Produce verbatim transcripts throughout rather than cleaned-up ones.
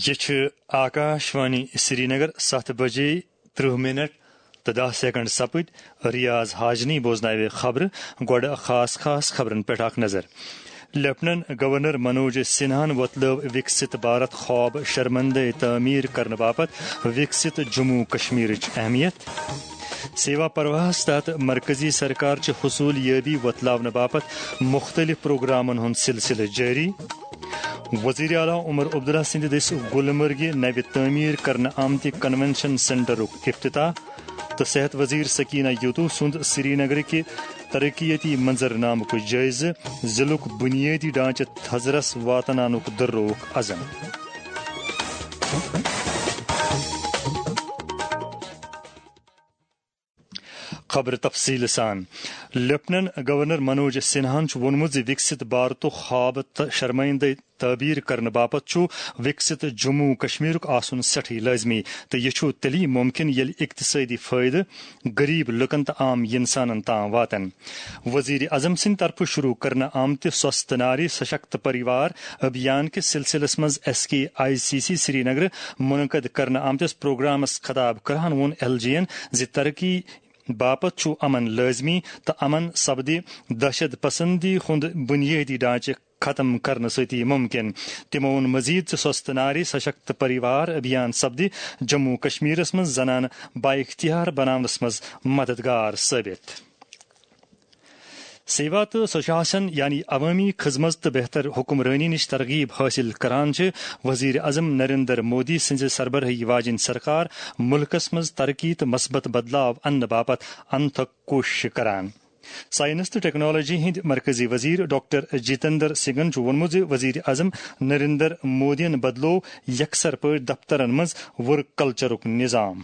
یہِ چھِ آکاش وانی سرینگر۔ ستھ بجے ترٕہ منٹ تہٕ دَہ سیکنڈ سپٕدۍ۔ ریاض حاجنی بوزناوِ خبرٕ۔ گۄڈٕ خاص خاص خبرن پٮ۪ٹھ اکھ نظر۔ لیفٹیننٹ گورنر منوج سنہاہن وۄتلٲو وکست بھارت خواب شرمندے تعمیر کرنہٕ باپتھ وکست جموں کشمیرٕچ اہمیت۔ سیوا پرواہس تحت مرکزی سرکار چہِ حصول یٲبی وۄتلاونہٕ باپتھ مختلف پروگرامن ہُنٛد سلسلہٕ جٲری۔ وزیر اعلیٰ عمر عبداللہ سٕنٛدِ دٔسۍ گلمرگہِ نوِ تعمیر کرنہٕ آمتہِ کنونشن سینٹرُک افتتاح تہٕ صحت وزیر سکینہ یوتو سُنٛد سرینگرٕکہِ ترقیتی منظرنامُک جٲیزٕ، ضلعُک بنیٲدی ڈھانچہٕ تھزرس واتناونُک دٔررووُکھ عزم۔ خبر تفصیل سان۔ لیفٹیننٹ گورنر منوج سنہاہن چھُ ووٚنمُت زِ وکست بھارتُک خواب تہٕ شرمندے تعبیر کرنہٕ باپتھ چھُ وکست جموں کشمیرُک آسُن سٮ۪ٹھٕے لٲزمی، تہٕ یہِ چھُ تیٚلی ممکن ییٚلہِ اقتصٲدی فٲیدٕ غریب لوٗکن تہٕ عام انسانن تام واتن۔ وزیر اعظم سٕنٛدِ طرفہٕ شروع کرنہٕ آمتہِ سوستھ ناری سشکت پریوار ابھیان کِس سلسلس منٛز S K I C C Srinagar منعقد کرنہٕ آمتِس پروگرامس خطاب کران ووٚن ایل جی ین زِ ترقی باپتھ چھُ امن لٲزمی تہٕ امن سپدِ دہشت پسندی ہُنٛد بنیٲدی ڈھانچہٕ ختم کرنہٕ سۭتی ممکن۔ تِمو ووٚن مزید زِ سوستھ ناری سشکت پریوار ابھیان سپدِ جموں کشمیرس منٛز زنانہٕ بااختیار بناونس منٛز مددگار ثٲبت۔ سیوا تہٕ سُشاسن، یعنی عوٲمی خدمت تہٕ بہتر حکمرٲنی نِش ترغیب حٲصِل کران چھِ وزیر اعظم نریندر مودی سٕنٛزِ سربرٲہی واجیٚنۍ سرکار مُلکس منٛز ترقی تہٕ مثبت بدلاو اننہٕ باپتھ انتھک کوٗششہٕ کران۔ ساینس تہٕ ٹیکنالوجی ہٕنٛدۍ مرکزی وزیر ڈاکٹر جتیندر سنگھن چھُ ووٚنمُت زِ وزیر اعظم نریندر مودیَن بدلوو یکسر پٲٹھۍ دفترن منٛز ورک کلچرُک نظام۔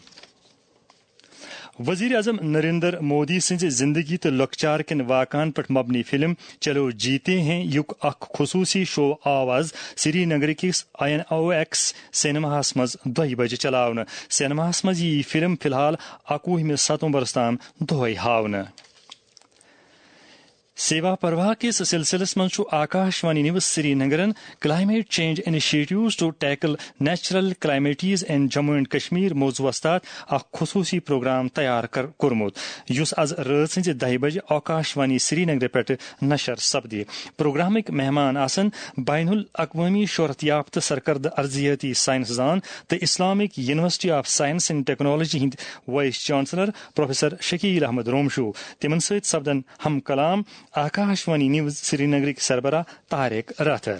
وزیر اعظم نریندر مودی سٕنٛزِ زندگی تہٕ لۄکچار کٮ۪ن واقعن پٮ۪ٹھ مبنی فلم چلو جیتے ہیں یُک اکھ خصوٗصی شو آو از سری نگر کِس آئی این او ایکس سینماہس منٛز دۄیہِ بجہِ چلاونہٕ۔ سینماہس منٛز یِیہِ فلم فی الحال اَکوُہمہِ ستمبرس تام دۄہے ہاونہٕ۔ سیوا پرواہ کِس سلسلس منٛز چھُ Akash Wani news Sri نگرن Climate Change Initiatives to Tackle Natural Calamities in Jammu and Kashmir موضوعس تحت اکھ خصوٗصی پروگرام تیار کر-، کوٚرمُت، یُس از رٲژ ہٕنٛزِ دَہہِ بجہِ آکاش وانی سری نگرٕ پٮ۪ٹھٕ نشر سپدِ۔ پروگرامٕکۍ مہمان آسن بین الاقوٲمی شہرت یافتہٕ سرکردٕ ارضیٲتی سائنس دان تہٕ Islamic university of science and technology ہٕنٛدۍ vice chancellor professor Shakeel Ahmad Romshoo. تِمن سۭتۍ سپدن ہم کلام آکاش وانی نیوز سری نگرٕکۍ سربراہ طارق راتھر۔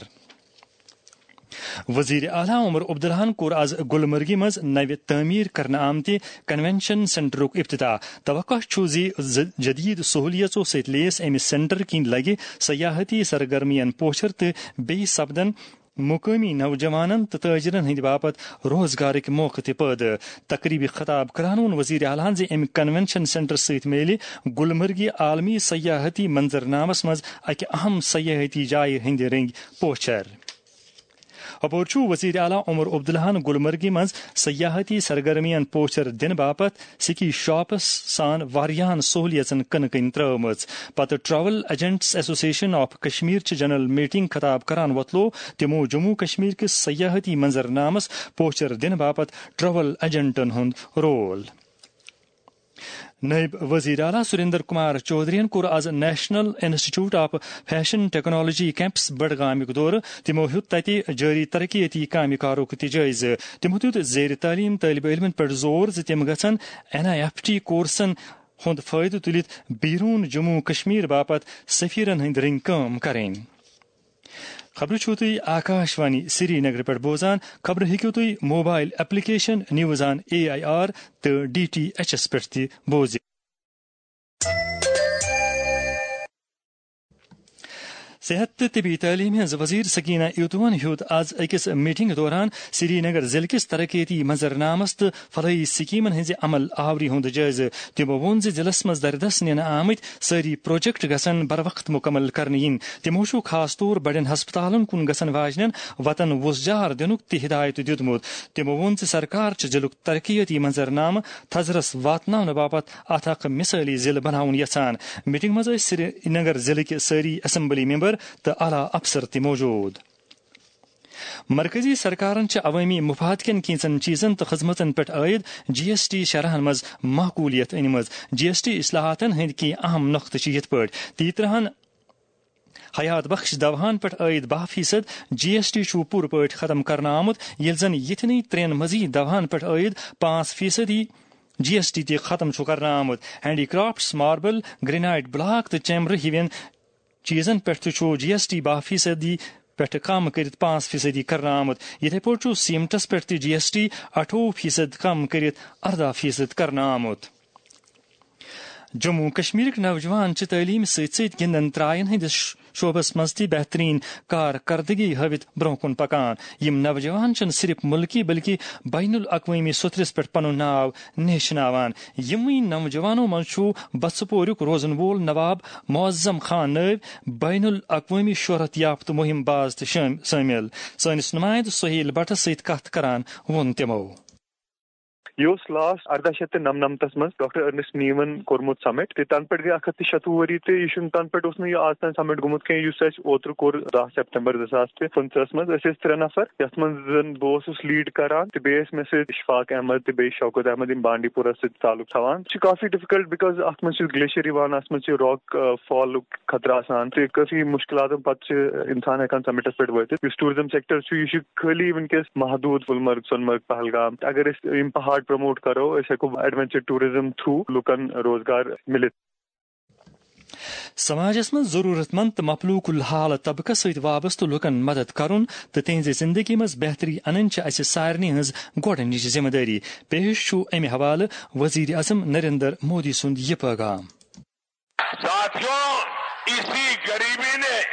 وزیر اعلیٰ عمر عبداللہن کوٚر از گلمرگہِ منٛز نوِ تعمیر کرنہٕ آمتہِ کنونشن سینٹرُک افتتاح۔ توقع چھُ زِ ز-، جدید سہولیژو سۭتۍ لیس امہِ سینٹر کِنۍ لگہِ سیاحتی سرگرمین پوچھر تہٕ بیٚیہِ سپدن مقٲمی نوجوانن تہٕ تاجرن ہٕنٛدِ باپتھ روزگارٕکۍ موقعہٕ تہِ پٲدٕ۔ تقریبہِ خطاب کران ووٚن وزیر اعلیٰ ہن زِ امہِ کنونشن سینٹر سۭتۍ میلہِ گلمرگہِ عالمی سیاحتی منظرنامس منٛز اکہِ اہم سیاحتی جایہِ ہٕنٛدِ رٔنگۍ پوچھر۔ اپور چھُ وزیر اعلیٰ عمر عبداللہن گلمرگہِ منٛز سیاحتی سرگرمین پوچھر دِنہٕ باپتھ سکی شاپس سان واریاہن سہولیژن کٕنہٕ کٕنۍ ترٲومٕژ۔ پتہٕ travel agents association of Kashmir چہِ جنرل میٹنگ خطاب کران وۄتلوو تِمو جموں کشمیر کِس سیاحتی منظرنامس پوچھر دِنہٕ باپتھ ٹریول ایجنٹن ہُنٛد رول۔ نائب وزیر اعلیٰ سریندر کمار چودھرین کوٚر از national institute of fashion technology campus بڈگامیُک دورٕ۔ تِمو ہیوٚت تتہِ جٲری ترقیتی کامہِ کارُک تہِ جٲیزٕ۔ تِمو دیُت زیر تعلیٖم طٲلبہِ علمن پٮ۪ٹھ زور زِ تِم گژھن این آئی ایف ٹی کورسن ہُنٛد فٲیدٕ تُلِتھ بیروٗن جموں کشمیر باپتھ سفیرن ہٕنٛدۍ رٔنگۍ کٲم کرٕنۍ۔ خبرٕ چھِو تُہۍ آکاش وانی سری نگر پٮ۪ٹھ بوزان۔ خبرٕ ہیٚکِو تُہۍ mobile application news on A I R تہٕ ڈی ٹی ایچ ایس پٮ۪ٹھ تہِ بوٗزِتھ۔ صحت تہٕ طبی تعلیٖم ہٕنٛز وزیر سکینہ ایوتوہن ہیوٚت از أکِس میٹنگ دوران سری نگر ضلعہٕ کِس ترقیتی منظرنامس تہٕ فلاحی سکیمن ہٕنٛزِ عمل آوری ہُنٛد جٲیزٕ۔ تِمو ووٚن زِ ضلعس منٛز دردس نِنہٕ آمٕتۍ سٲری پروجیکٹ گژھن بروقت مکمل کرنہٕ یِنۍ۔ تِمو چھُ خاص طور بڑٮ۪ن ہسپتالن کُن گژھن واجنٮ۪ن وتن وُژھ جار دِنُک تہِ ہدایت دیُتمُت۔ تِمو ووٚن زِ سرکار چھِ ضلعُک ترقیتی منظرنامہٕ تھزرس واتناونہٕ باپتھ اتھ اکھ مثٲلی ضلعہٕ بناوُن یژھان۔ میٹنگ منٛز ٲسۍ سرینگر ضلعٕکۍ سٲری اسمبلی ممبر تہٕ اعلیٰ افسر تہِ موجود۔ مرکزی سرکارن چھِ عوٲمی مفاد کٮ۪ن کینٛژن چیزن تہٕ خدمتن پٮ۪ٹھ عٲید جی ایس ٹی شرحن منٛز معقولیت أنمٕژ۔ جی ایس ٹی اصلاحاتن ہٕنٛدۍ کینٛہہ اہم نۄقطہٕ چھِ یِتھ پٲٹھۍ، تیترہن حیات بخش دوہن پٮ۪ٹھ عٲید باہ فیصد جی ایس ٹی چھُ پوٗرٕ پٲٹھۍ ختم کرنہٕ آمُت، ییٚلہِ زن یِتھنٕے ترٛٮ۪ن مزید دوہن پٮ۪ٹھ عٲید پانٛژھ فیصدی جی ایس ٹی تہِ ختم چھُ کرنہٕ آمُت۔ Handy crafts, marble, granite block تہٕ چیمرٕ ہِوٮ۪ن چیزن پٮ۪ٹھ تہِ چھُ جی ایس ٹی باہ فیصدی پٮ۪ٹھ کم کٔرِتھ پانٛژھ فیصدی کرنہٕ آمُت۔ یِتھے پٲٹھۍ چھُ سیمنٹس پٮ۪ٹھ تہِ جی ایس ٹی اَٹھووُہ فیصد کم کٔرِتھ ارداہ فیصد کرنہٕ آمُت۔ جموں کشمیرٕکۍ نوجوان چھِ تعلیمہِ سۭتۍ سۭتۍ گِنٛدن ترٛاین ہٕنٛدِس ش-، شعبس منٛز تہِ بہترین کارکردگی ہٲوِتھ برونٛہہ کُن پکان۔ یِم نوجوان چھِنہٕ صرف مُلکی بلکہِ بین الاقوٲمی سطحس پٮ۪ٹھ پنُن ناو نیشناوان۔ یِموٕے نوجوانو منٛز چھُ بژھ پوریُک روزن وول نواب معظم خان نٲوۍ بین الاقوٲمی شہرت یافتہٕ مہم باز تہِ شٲم-، شٲمِل۔ سٲنِس نُمایندٕ سہیل بٹس سۭتۍ کتھ کران ووٚن تِمو۔ یہِ اوس لاسٹ ارداہ شیٚتھ تہٕ نَمنَمتَس منٛز ڈاکٹر ارنسٹ نیون کوٚرمُت سمٹ، تہٕ تَنہٕ پٮ۪ٹھ گٔے اکھ ہَتھ تہٕ شَتوُہ ؤری، تہٕ یہِ چھُنہٕ، تَنہٕ پٮ۪ٹھ اوس نہٕ یہِ آز تام سمٹ گوٚمُت کینٛہہ، یُس اَسہِ اوترٕ کوٚر دَہ سپتمبر زٕ ساس تہٕ پٕنٛژٕہَس منٛز۔ أسۍ ٲسۍ ترٛےٚ نفر، یَتھ منٛز زَن بہٕ اوسُس لیڈ کران، تہٕ بیٚیہِ ٲسۍ مےٚ سۭتۍ اشفاق احمد تہٕ بیٚیہِ شوکت احمد، یِم بانڈی پورہ سۭتۍ تعلق تھاوان۔ یہِ چھُ کافی ڈفیکلٹ، بیکاز اَتھ منٛز چھُ گلیشیر یِوان، اَتھ منٛز چھُ راک، آ، فالُک خطرٕ آسان، تہٕ کٲفی مُشکِلاتن پتہٕ چھُ اِنسان ہٮ۪کان سمٹس پٮ۪ٹھ وٲتِتھ۔ یُس ٹوٗرزم سیکٹر چھُ، یہِ چھُ خٲلی وٕنکیٚس محدوٗد گُلمرگ، سۄنمرگ، پہلگام۔ اگر أسۍ یِم پہاڑ پروموٹ کرو، أسۍ ہٮ۪کو ایڈونچر ٹوٗرزم تھرو لُکن روزگار مِلِتھ۔ سماجس منٛز ضروٗرت مند تہٕ مفلوٗک الحال طبقس سۭتۍ وابستہٕ لُکن مدد کرُن تہٕ تِہنٛزِ زندگی منٛز بہتری انٕنۍ چھِ اسہِ سارنٕے ہٕنٛز گۄڈٕنِچ ذمہٕ دٲری۔ پیش چھُ امہِ حوالہٕ وزیر اعظم نریندر مودی سُنٛد یہِ پیغام۔ ساتھیوں، اسی غریبی نے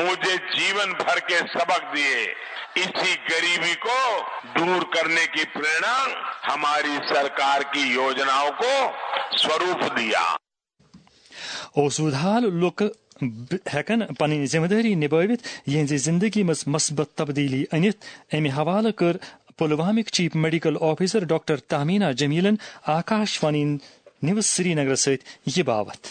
مجھے جیون بھر کے سبق دیے۔ اسی غریبی کو دور کرنے کی प्रेरणा हमारी सरकार की योजनाओं को स्वरूप दिया۔ اوسوٗد حال لُکھ ب-، ہٮ۪کن پنٕنۍ ذمہٕ دٲری نِبٲوِتھ، یِہنٛزِ زندگی منٛز مثبت تبدیلی أنِتھ۔ امہِ حوالہٕ کٔر پلوامٕکۍ chief medical officer doctor Tahmina جمیلن آکاش وانی نیوز سرینگرس سۭتۍ یہِ باوتھ۔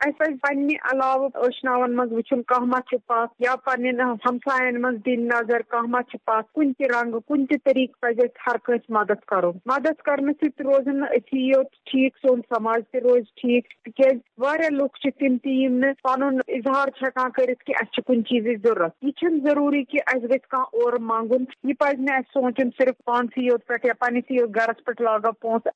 اَسہِ پَزِ پننہِ علاوٕ ٲشناون منٛز وٕچھُن، کانٛہہ ما چھُ پتھ، یا پننٮ۪ن ہمساین منٛز دِنۍ نظر، کانٛہہ ما چھُ پتھ۔ کُنہِ تہِ رنگہٕ، کُنہِ تہِ طریقہٕ پَزِ اَسہِ ہر کٲنٛسہِ مدد کرُن۔ مدد کرنہٕ سۭتۍ روزن نہٕ أسی یوت ٹھیٖک، سون سماج تہِ روزِ ٹھیٖک، تِکیازِ واریاہ لُکھ چھِ تِم تہِ، یِم نہٕ پنُن اظہار چھِ ہٮ۪کان کٔرِتھ کہِ اَسہِ چھِ کُنہِ چیٖزٕچ ضروٗرت۔ یہِ چھُنہٕ ضروٗری کہِ اَسہِ گژھِ کانٛہہ اورٕ منٛگُن۔ یہِ پَزِ نہٕ اَسہِ سونٛچُن صرف پانسٕے یوت پٮ۪ٹھ یا پننِسٕے یوت گرس پٮ۪ٹھ لاگو پونٛسہٕ۔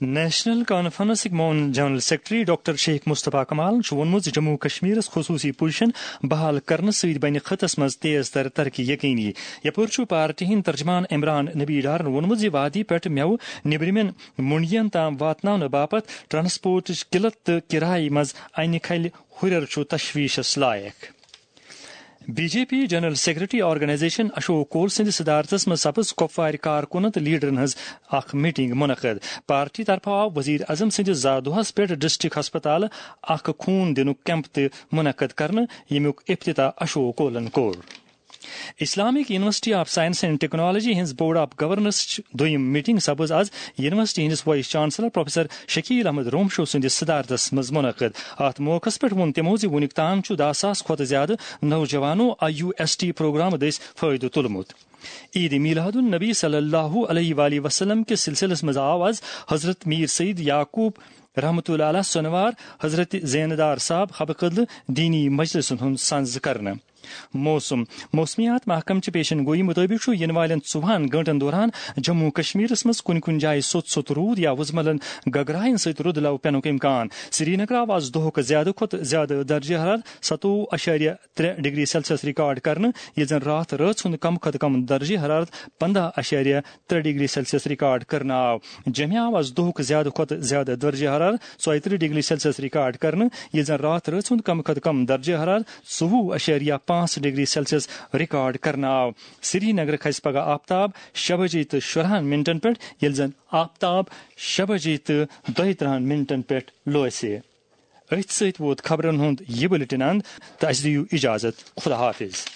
نیشنل کانفرنسٕکۍ معاون جنرل سیکرٹری ڈاکٹر شیخ مصطفیٰ کمالن چھُ ووٚنمُت زِ جموں کشمیرس خصوٗصی پوزیشن بحال کرنہٕ سۭتۍ بنہِ خطس منٛز تیز تر ترقی یقینی۔ یپٲرۍ چھُ پارٹی ہٕنٛدۍ ترجمان عمران نبی ڈارن ووٚنمُت زِ وادی پٮ۪ٹھ مٮ۪وٕ نیبرِمٮ۪ن منڈین تام واتناونہٕ باپتھ ٹرانسپورٹٕچ قلت تہٕ کرایہِ منٛز انہِ کھلہِ ہُرٮ۪ر چھُ تشویشس لایق۔ B J P general secretary organisation Ashok Koul سٕنٛدِ صدارتس منٛز سپٕز کۄپوارِ کارکُنن تہٕ لیڈرن ہٕنٛز اکھ میٹنگ منعقد۔ پارٹی طرفہٕ آو وزیر اعظم سٕنٛدِس زا دۄہس پٮ۪ٹھ ڈسٹرکٹ ہسپتالہٕ اکھ خوٗن دِنُک کیمپ تہِ منعقد کرنہٕ، ییٚمیُک افتتاح اشوک کولن کوٚر۔ Islamic university of science and technology ہٕنٛز بورڈ آف گورنرسٕچ دوٚیِم میٹنگ سپٕز از یونیورسٹی ہٕنٛدِس vice chancellor professor Shakeel Ahmad Romshoo سٕنٛدِس صدارتس منٛز منعقد۔ اتھ موقعس پٮ۪ٹھ ووٚن تِمو زِ وُنیُک تام چھُ دَہ ساس کھۄتہٕ زیادٕ نوجوانو I U S T programme دٔسۍ فٲیدٕ تُلمُت۔ عید میلاد النبی صلی اللہ علیہ وآلہ وسلم کِس سلسلس منٛز آو از حضرت میر سید یعقوب رحمتہ اللہ علیہ سۄنوار حضرت زیندار صاحب حبہٕ قدلہٕ دینی مجلسن ہُنٛد سنز کرنہٕ۔ موسم۔ موسمیات محکمہٕ چہِ پیشن گوئی مُطٲبِق چھُ یِنہٕ والٮ۪ن ژوٚوُہن گٲنٛٹن دوران جموں کشمیرس منٛز کُنہِ کُنہِ جایہِ سوٚت سوٚت روٗد یا وُزملن گگراین سۭتۍ رُدٕ لو پٮ۪نُک امکان۔ سرینگرٕ آو از دۄہُک زیادٕ کھۄتہٕ زیادٕ درجہ حرارت ستووُہ اَشاریہ ترٛےٚ ڈگری سیلسیس ریکارڈ کرنہٕ، ییٚلہِ زن راتھ رٲژ ہُنٛد کم کھۄتہٕ کم درجہ حرارت پنداہ اَشاریہ ترٛےٚ ڈگری سیلسیس ریکارڈ کرنہٕ آو۔ جمہِ آو از دۄہُک زیادٕ کھۄتہٕ زیادٕ درجہ حرارت ژۄیہِ ترٕٛہ ڈگری سیلسیس ریکارڈ کرنہٕ، ییٚلہِ زن راتھ رٲژ ہُنٛد کم کھۄتہٕ کم درجہ حرارت ژوٚوُہ اَشاریہ پانٛژھ ڈگری سیلسیس ریکارڈ کرنہٕ آو۔ سرینگرٕ کھسہِ پگہہ آفتاب شےٚ بجے تہٕ شُراہن منٹن پٮ۪ٹھ، ییٚلہِ زن آفتاب شےٚ بجے تہٕ دۄیہِ ترٕٛہن منٹن پٮ۪ٹھ لوسہِ۔ أتھۍ سۭتۍ ووت خبرن ہُنٛد یہِ بُلٹن اند تہٕ اسہِ دِیِو اجازت۔ خدا حافظ۔